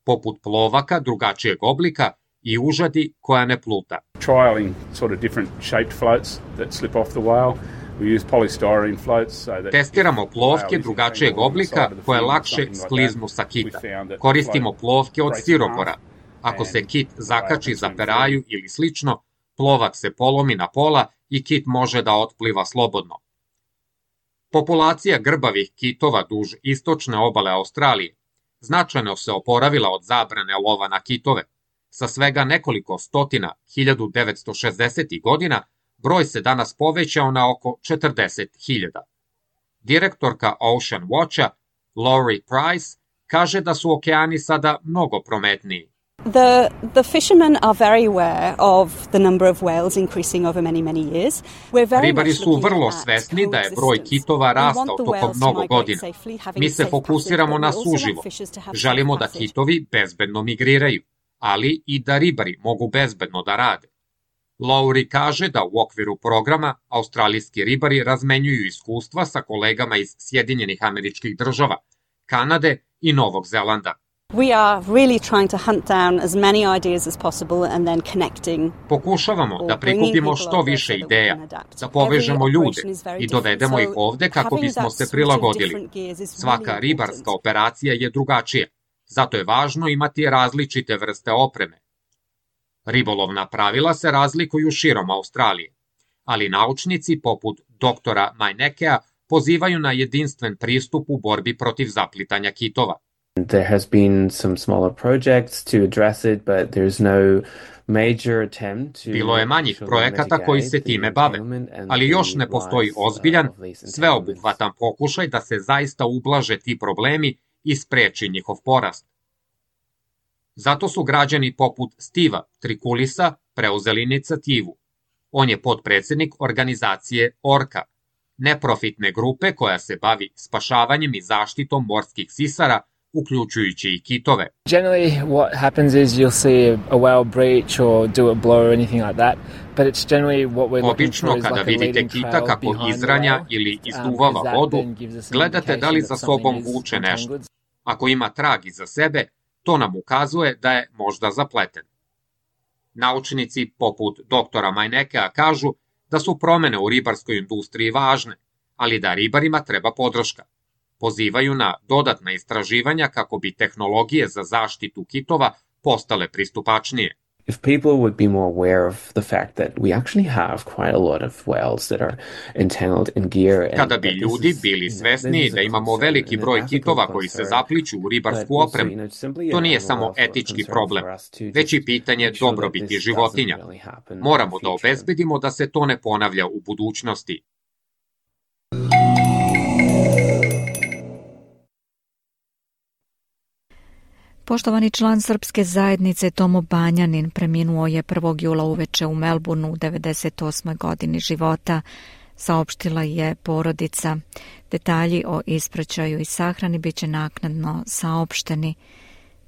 poput plovaka drugačijeg oblika i užadi koja ne pluta. Trialing sort of different shaped floats that slip off the whale. We use polystyrene floats so that... Testiramo plovke drugačijeg oblika koje lakše skliznu sa kita. Koristimo plovke od stiropora. Ako se kit zakači za peraju ili slično, plovak se polomi na pola i kit može da otpliva slobodno. Populacija grbavih kitova duž istočne obale Australije značajno se oporavila od zabrane lova na kitove. Sa svega nekoliko stotina 1960. godina broj se danas povećao na oko 40.000. Direktorka Ocean Watcha, Laurie Price, kaže da su okeani sada mnogo prometniji. The fishermen are very aware of the number of whales increasing over many years. Ribari su vrlo svesni da je broj kitova rastao tokom mnogo godina. Mi se fokusiramo na suživo. Želimo da kitovi bezbedno migriraju, ali i da ribari mogu bezbedno da rade. Lowry kaže da u okviru programa australijski ribari razmenjuju iskustva sa kolegama iz Sjedinjenih Američkih Država, Kanade i Novog Zelanda. We are really trying to hunt down as many ideas as possible and then connecting. Pokušavamo da prikupimo što više ideja, da povežemo ljude i dovedemo ih ovde kako bismo se prilagodili. Svaka ribarska operacija je drugačija, zato je važno imati različite vrste opreme. Ribolovna pravila se razlikuju širom Australije, ali naučnici poput doktora Mainekea pozivaju na jedinstven pristup u borbi protiv zaplitanja kitova. There has been some smaller projects to address it, but there's no major attempt to... Bilo je manjih projekata koji se time bave, ali još ne postoji ozbiljan, sveobuhvatan pokušaj da se zaista ublaže ti problemi i spreči njihov porast. Zato su građani poput Steva Trikulisa preuzeli inicijativu. On je potpredsednik organizacije Orca, neprofitne grupe koja se bavi spašavanjem i zaštitom morskih sisara, uključujući i kitove. Generally what happens is you'll see a whale breach or do a blow or anything like that, but it's generally what we're looking for is like a leading trail behind the whale. Obično kada vidite kita kako izranja ili izduvava vodu, gledate da li za sobom vuče nešto. Ako ima trag iza sebe, to nam ukazuje da je možda zapleten. Naučnici poput doktora Mainekea kažu da su promene u ribarskoj industriji važne, ali da ribarima treba podrška. Pozivaju na dodatna istraživanja kako bi tehnologije za zaštitu kitova postale pristupačnije. If people would be more aware of the fact that we actually have quite a lot of whales that are entangled in gear. Kada bi ljudi bili svesni da imamo veliki broj kitova koji se zapliću u ribarsku opremu, to nije samo etički problem, već i pitanje dobrobiti životinja. Moramo da obezbedimo da se to ne ponavlja u budućnosti. Poštovani član srpske zajednice Tomo Banjanin preminuo je 1. jula uveče u Melbourneu u 98. godini života, saopštila je porodica. Detalji o ispraćaju i sahrani biće naknadno saopšteni.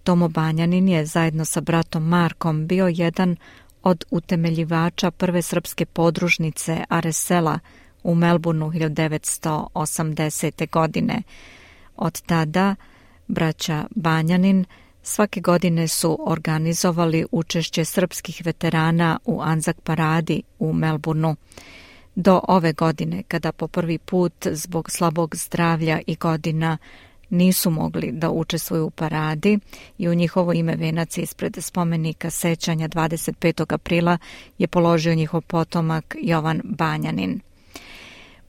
Tomo Banjanin je zajedno sa bratom Markom bio jedan od utemeljivača prve srpske podružnice Aresela u Melbourneu 1980. godine. Od tada braća Banjanin svake godine su organizovali učešće srpskih veterana u Anzac paradi u Melbourneu. Do ove godine, kada po prvi put zbog slabog zdravlja i godina nisu mogli da učestvuju u paradi i u njihovo ime venac ispred spomenika sećanja 25. aprila je položio njihov potomak Jovan Banjanin.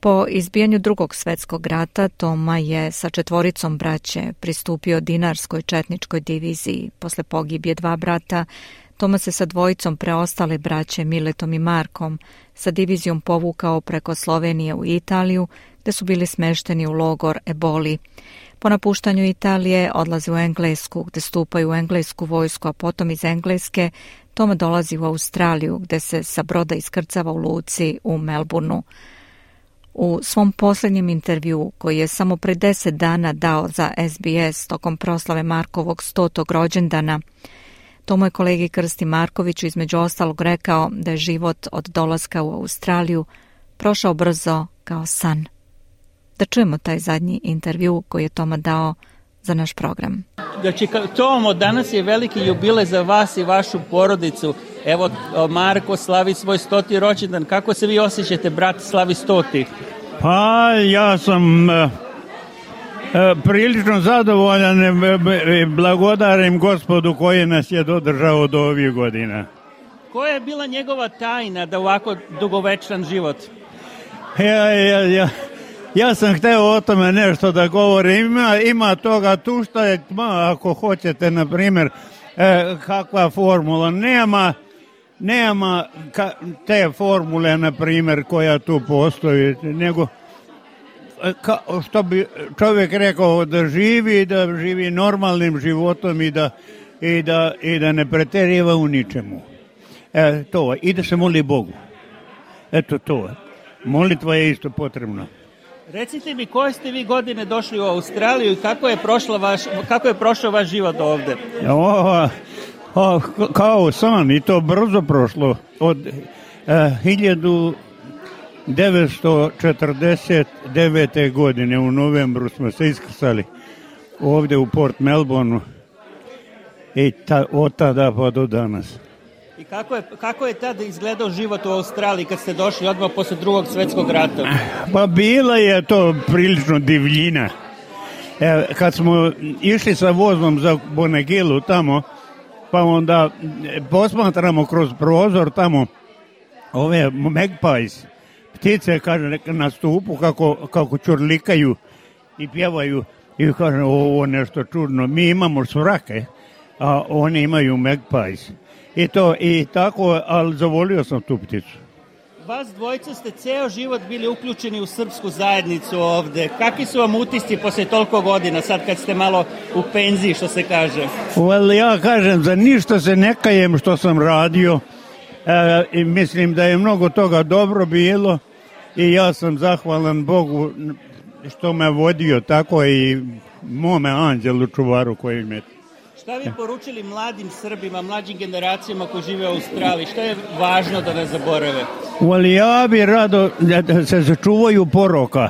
Po izbijanju Drugog svjetskog rata Toma je sa 4 braće pristupio Dinarskoj četničkoj diviziji. Posle pogibije 2 brata, Toma se sa 2 preostale braće Miletom i Markom sa divizijom povukao preko Slovenije u Italiju, gde su bili smešteni u logor Eboli. Po napuštanju Italije odlazi u Englesku, gde stupaju u englesku vojsku, a potom iz Engleske Toma dolazi u Australiju, gde se sa broda iskrcava u luci u Melbourneu. U svom posljednjem intervjuu, koji je samo pre 10 dana dao za SBS tokom proslave Markovog 100. rođendana, Tomo je kolegi Krsti Markoviću između ostalog rekao da je život od dolaska u Australiju prošao brzo kao san. Da čujemo taj zadnji intervju koji je Toma dao za naš program. Znači, Tomo, danas je veliki jubilej za vas i vašu porodicu. Evo, Marko slavi svoj 100. rođendan. Kako se vi osjećate, brat slavi 100? Pa, ja sam prilično zadovoljan i blagodarim Gospodu koji nas je dodržao do ovih godina. Koja je bila njegova tajna da ovako dugovečan život? Ja sam hteo o tome nešto da govorim. Ima toga tu što je, ako hoćete, na primjer, kakva formula. Nema te formule, na primjer, koja tu postoji, nego što bi čovjek rekao da živi normalnim životom i da ne preteriva u ničemu. To, i da se moli Bogu. Eto to. Molitva je isto potrebna. Recite mi, koje ste vi godine došli u Australiju i kako je prošao vaš život ovdje? Kao san, i to brzo prošlo. Od 1949. godine u novembru smo se iskrcali ovdje u Port Melbourneu i od tada pa do danas. I kako je tada izgledao život u Australiji kad ste došli odmah posle Drugog svjetskog rata? Pa bila je to prilično divljina. Kad smo išli sa vozom za Bonagilu tamo, pa onda posmatramo kroz prozor tamo ove magpies, ptice, kaže, na stupu kako čurlikaju i pjevaju i kaže, ovo nešto čudno. Mi imamo svrake, a oni imaju magpies. I tako, ali zavolio sam tu pticu. Vas dvojica ste ceo život bili uključeni u srpsku zajednicu ovde. Kakvi su vam utisci posle toliko godina, sad kad ste malo u penziji, što se kaže? Ja kažem, za ništa se ne kajem što sam radio. I mislim da je mnogo toga dobro bilo i ja sam zahvalan Bogu što me vodio tako i mome anđelu čuvaru koji me... Šta bi poručili mladim Srbima, mlađim generacijama koji žive u Australiji? Što je važno da ne zaborave? Ja bi rado da se sačuvaju poroka.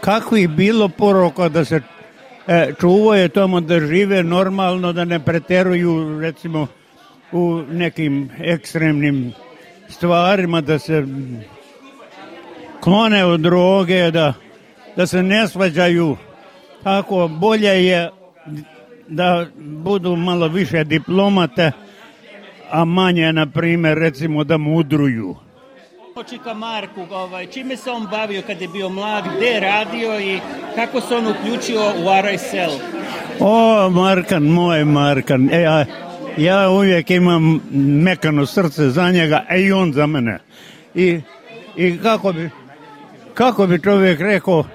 Kako je bilo poroka da se čuvaju tamo, da žive normalno, da ne preteruju recimo u nekim ekstremnim stvarima, da se klone od droge, da se ne svađaju. Tako bolje je da budu malo više diplomate, a manje, na primjer, recimo da mudruju. Počika Marku, čime se on bavio kad je bio mlad, gde je radio i kako se on uključio u RSL? Markan, moj Markan. Ja uvijek imam mekano srce za njega, a i on za mene. I kako bi čovjek rekao,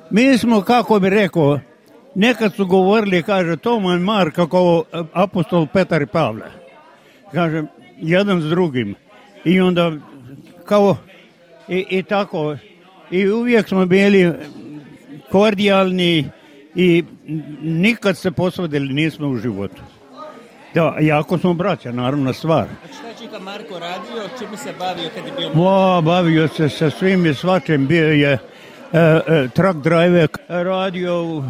mi smo, kako bi rekao, nekad su govorili, kaže, Toma i Marka kao apostol Petar i Pavle. Kaže, jedan s drugim. I onda, kao, i tako, i uvijek smo bili kordijalni i nikad se posvadili nismo u životu. Da, jako smo braća, naravno stvar. A šta Čika Marko radio, čime se bavio kad je bio... Bavio se sa svim i svačim, bio je truck driver, radio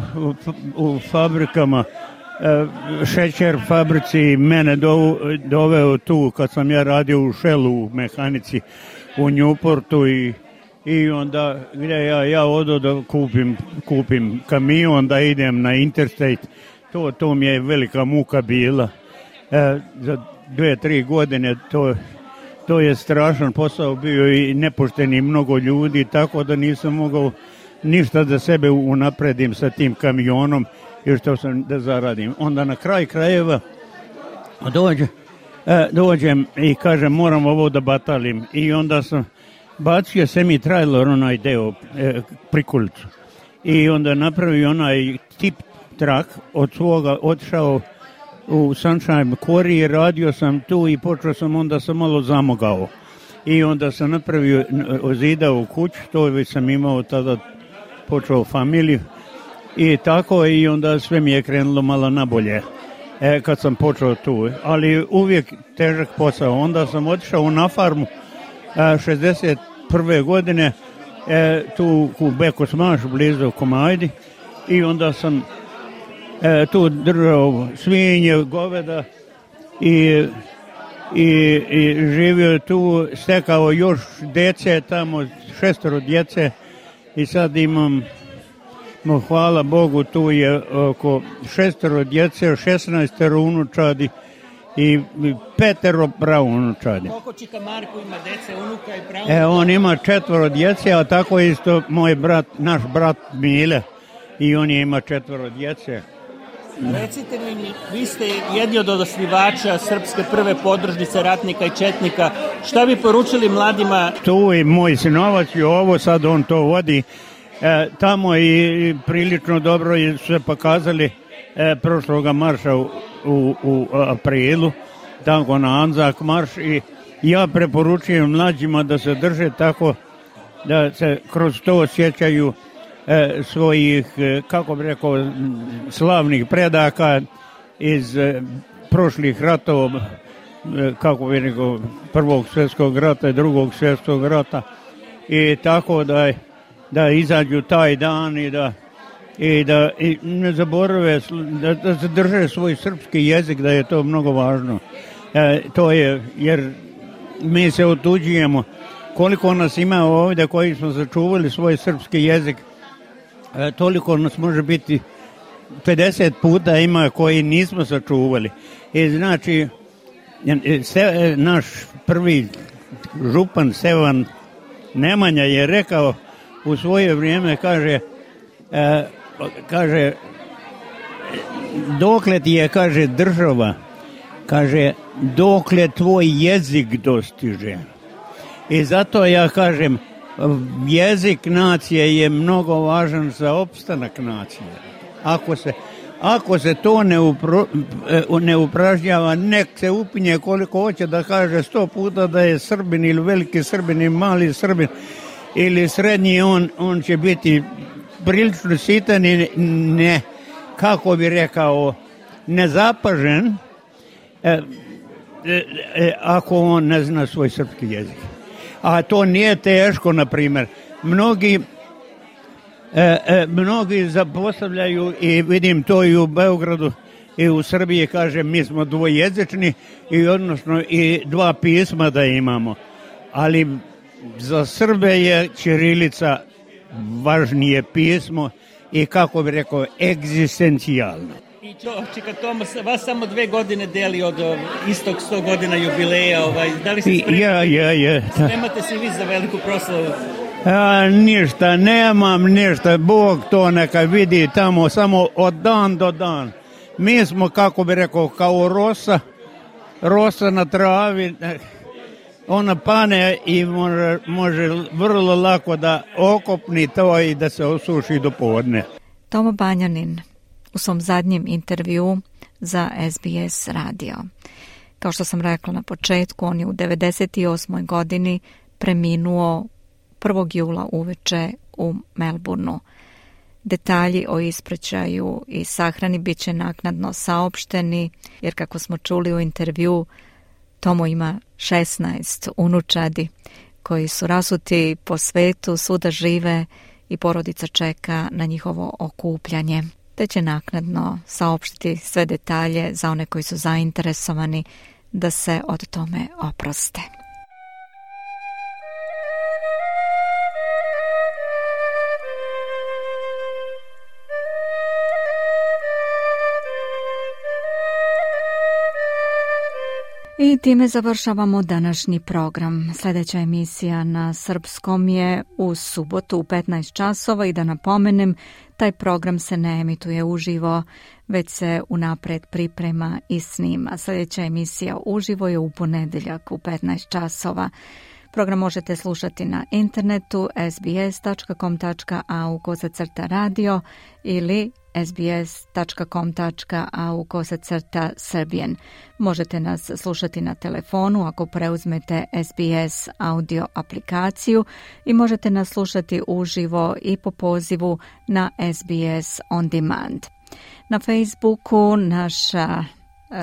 u fabrikama, šećer fabrici, mene doveo tu kad sam ja radio u Shellu u mehanici u Newportu i onda gdje ja odo da kupim kamion, da idem na Interstate, to mi je velika muka bila. Za 2-3 godine to je strašan posao bio i nepošteni mnogo ljudi, tako da nisam mogao ništa da sebe unapredim sa tim kamionom i što sam da zaradim. Onda na kraj krajeva dođem i kažem moram ovo da batalim i onda sam bacio semi-trailer onaj deo prikolicu i onda napravio onaj tip truck od svoga otišao u Sunshine Quarry, radio sam tu i počeo sam, onda sam malo zamogao. I onda sam napravio, ozidao kuću, to već sam imao tada, počeo familiju. I tako, i onda sve mi je krenulo malo nabolje kad sam počeo tu. Ali uvijek težak posao. Onda sam otišao na farmu 61. godine, tu u Bekosmaš, blizu Komajdi. I onda sam tu držao svinje, goveda i živio tu, stekao još djece, tamo 6 djece i sad imam, hvala Bogu, tu je oko 6 djece, 16 unučadi i 5 praunučadi. Koliko Čika Marko ima djece, unuka i praunučadi? On ima 4 djece, a tako isto moj brat, naš brat Mile, i on je ima 4 djece. Recite mi, vi ste jedni od osnivača srpske prve podružnice ratnika i četnika. Šta bi poručili mladima? Tu je moj sinovac i ovo, sad on to vodi. Tamo i prilično dobro su se pokazali prošloga marša u aprilu, tako na Anzak marš, i ja preporučujem mlađima da se drže tako, da se kroz to osjećaju svojih, kako bi rekao, slavnih predaka iz prošlih ratova, kako bi rekao, Prvog svjetskog rata i Drugog svjetskog rata, i tako da izađu taj dan i da ne zaborave, da se drže svoj srpski jezik, da je to mnogo važno. To je, jer mi se otuđujemo. Koliko nas ima ovdje koji smo sačuvali svoj srpski jezik, toliko nas može biti 50 puta ima koji nismo sačuvali. I znači, naš prvi župan Stevan Nemanja je rekao u svoje vrijeme, kaže dokle ti je, kaže, država, kaže, dokle tvoj jezik dostiže. I zato ja kažem, jezik nacije je mnogo važan za opstanak nacije. Ako se to ne upražnjava, nek se upinje koliko hoće da kaže 100 puta da je Srbin ili veliki Srbin ili mali Srbin ili srednji, on će biti prilično sitan i ne, kako bi rekao, nezapažen ako on ne zna svoj srpski jezik. A to nije teško, na primjer. Mnogi zapostavljaju, i vidim to i u Beogradu i u Srbiji, kaže, mi smo dvojezični i odnosno i 2 pisma da imamo. Ali za Srbe je ćirilica važnije pismo i, kako bi rekao, egzistencijalno. I Čika Tomas, vas samo 2 godine deli od istog 100 godina jubileja. Da li se spremate se vi za veliku proslavu? Ništa, nemam ništa. Bog to neka vidi tamo, samo od dan do dan. Mi smo, kako bi rekao, kao rosa na travi. Ona pane i može vrlo lako da okopni to i da se osuši do podne. Tomo Banjanin u svom zadnjem intervju za SBS radio. Kao što sam rekla na početku, on je u 98. godini preminuo 1. jula uveče u Melbourneu. Detalji o ispraćaju i sahrani bit će naknadno saopšteni, jer kako smo čuli u intervju, Tomo ima 16 unučadi koji su rasuti po svetu, svuda žive i porodica čeka na njihovo okupljanje, te će naknadno saopštiti sve detalje za one koji su zainteresovani da se od tome oproste. I time završavamo današnji program. Sljedeća emisija na srpskom je u subotu u 15 časova i da napomenem, taj program se ne emituje uživo, već se unapred priprema i snima. Sljedeća emisija uživo je u ponedeljak u 15 časova. Program možete slušati na internetu sbs.com.au/radio ili sbs.com.au/Serbian. Možete nas slušati na telefonu ako preuzmete SBS audio aplikaciju i možete nas slušati uživo i po pozivu na SBS On Demand. Na Facebooku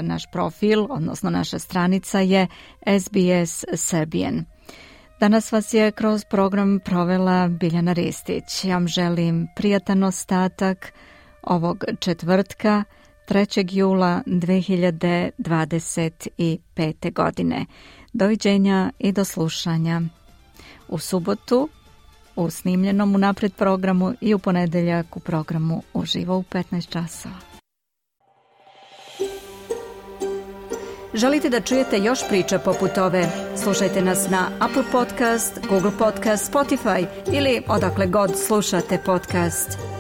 naš profil, odnosno naša stranica je SBS Serbian. Danas vas je kroz program provela Biljana Ristić. Ja vam želim prijatan ostatak ovog četvrtka, 3. jula 2025. godine. Doviđenja i do slušanja u subotu u snimljenom unapred programu i u ponedeljak u programu uživo u 15 časova. Želite da čujete još priča poput ove? Slušajte nas na Apple Podcast, Google Podcast, Spotify ili odakle god slušate podcast.